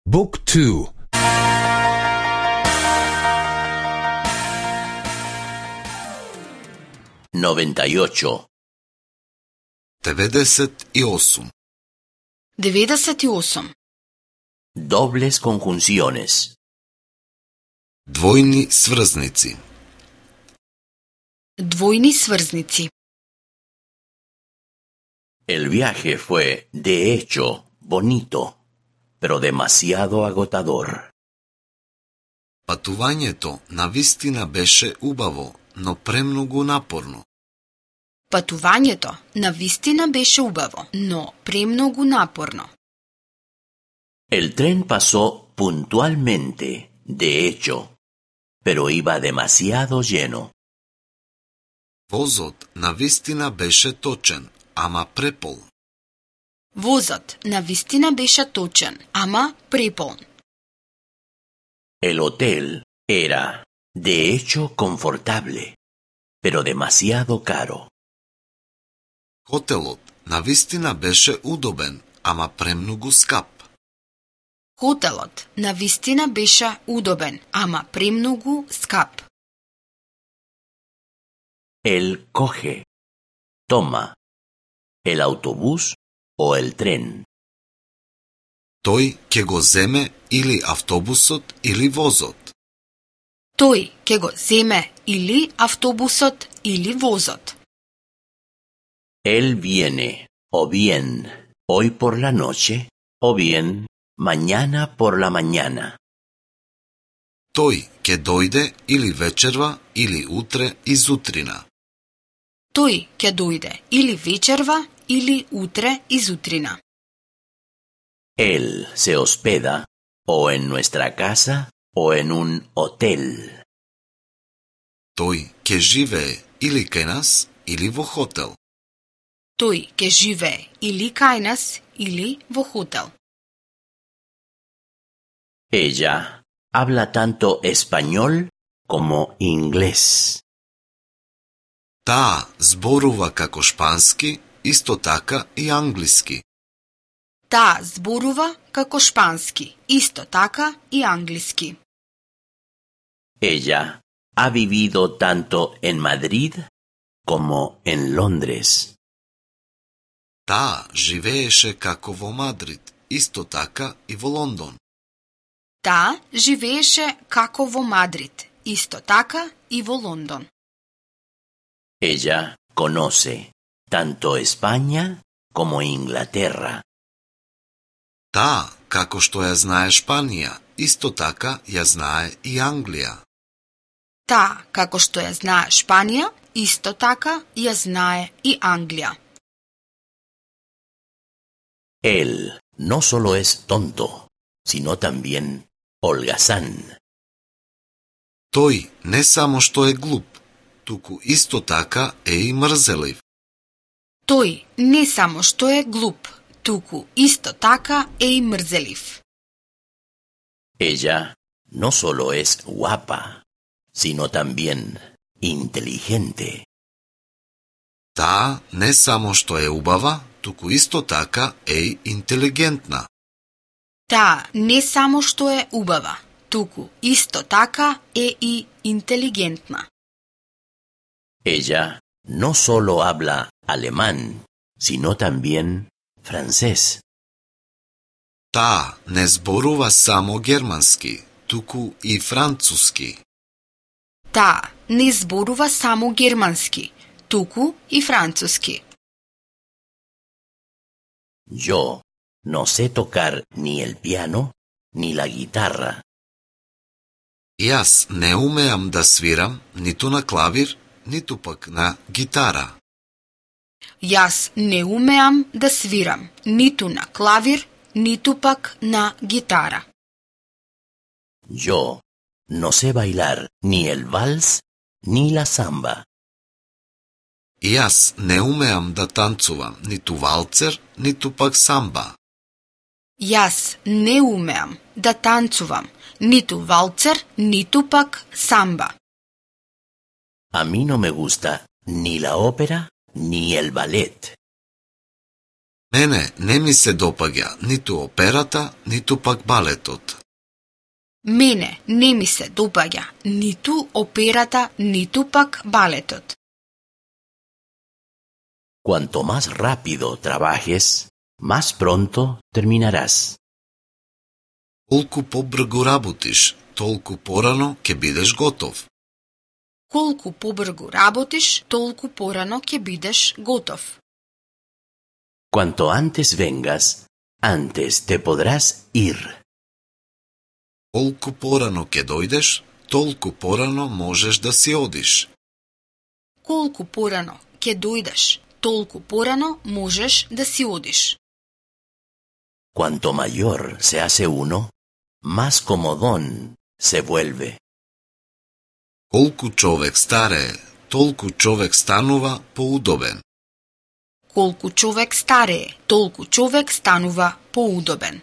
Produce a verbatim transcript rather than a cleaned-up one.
Book two. noventa y ocho. деветдесет и осум. деветдесет и осум. Dobles conjunciones. Двојни сврзници. Двојни сврзници. El viaje fue, de hecho, bonito, pero demasiado agotador. Патувањето навистина беше убаво, но премногу напорно. Патувањето навистина беше убаво, но премногу напорно. El tren pasó puntualmente, de hecho, pero iba demasiado lleno. Возот навистина беше точен, ама препол. Возот навистина беше точен, ама преполн. El hotel era, de hecho, confortable, pero demasiado caro. Хотелот навистина беше удобен, ама премногу скап. Хотелот навистина беше удобен, ама премногу скап. Él coge, toma, el autobús o el tren. Тој ќе го земе или автобусот или возот. Тој ќе го земе или автобусот или возот. Él viene, o bien, hoy por la noche, o bien, mañana por la mañana. Тој ќе дојде или вечерва или утре изутрина. Тој ќе дојде или вечерва или утре изутрина. Él se hospeda o en nuestra casa o en un hotel. Тој ќе живее или кај нас или во хотел. Тој ќе живее или кај нас или во хотел. Ella habla tanto español como inglés. Таа зборува како шпански, исто така и англиски. Таа зборува како шпански, исто така и англиски. Ella ha vivido tanto en Madrid como en Londres. Таа живееше како во Мадрид, исто така и во Лондон. Таа живееше како во Мадрид, исто така и во Лондон. Ella conoce tanto España como Inglaterra. Таа, како што ја знае Шпанија, исто така ја знае и Англија. Таа, како што ја знае Шпанија, исто така ја знае и Англија. Él no solo es tonto, sino también holgazán. Тој не само што е глуп, туку исто така е и мрзелив. Тој не само што е глуп, туку исто така е и мрзелив. Ella no solo es guapa, sino también inteligente. Таа не само што е убава, туку исто така е и интелигентна. Таа не само што е убава, туку исто така е и интелигентна. Ella no solo habla alemán, sino también francés. Таа не зборува само германски, туку и француски. Таа не зборува само германски, туку и француски. Yo no sé tocar ni el piano ni la guitarra. Јас не умеам да свирам ниту на клавир, ниту пак на гитара. Јас не умеам да свирам ниту на клавир, ниту пак на гитара. Yo no sé bailar ni el vals ni la samba. Јас не умеам да танцувам ниту валцер, ниту пак самба. Јас не умеам да танцувам ниту валцер, ниту пак самба. A mí no me gusta ni la ópera ni el ballet. Мене не ми се допаѓа ниту операта, ниту пак балетот. Мене не ми се допаѓа ниту операта, ниту пак балетот. Cuanto más rápido trabajes, más pronto terminarás. Колку побрзо работиш, толку порано ќе бидеш готов. Колку побрзо работиш, толку порано ќе бидеш готов. Cuanto antes vengas, antes te podrás ir. Колку порано ќе дојдеш, толку порано можеш да си одиш. Колку порано ќе дојдеш, толку порано можеш да си одиш. Cuanto mayor se hace uno, más comodón se vuelve. Колку човек старее, толку човек станува поудобен. Колку човек старее, толку човек станува поудобен.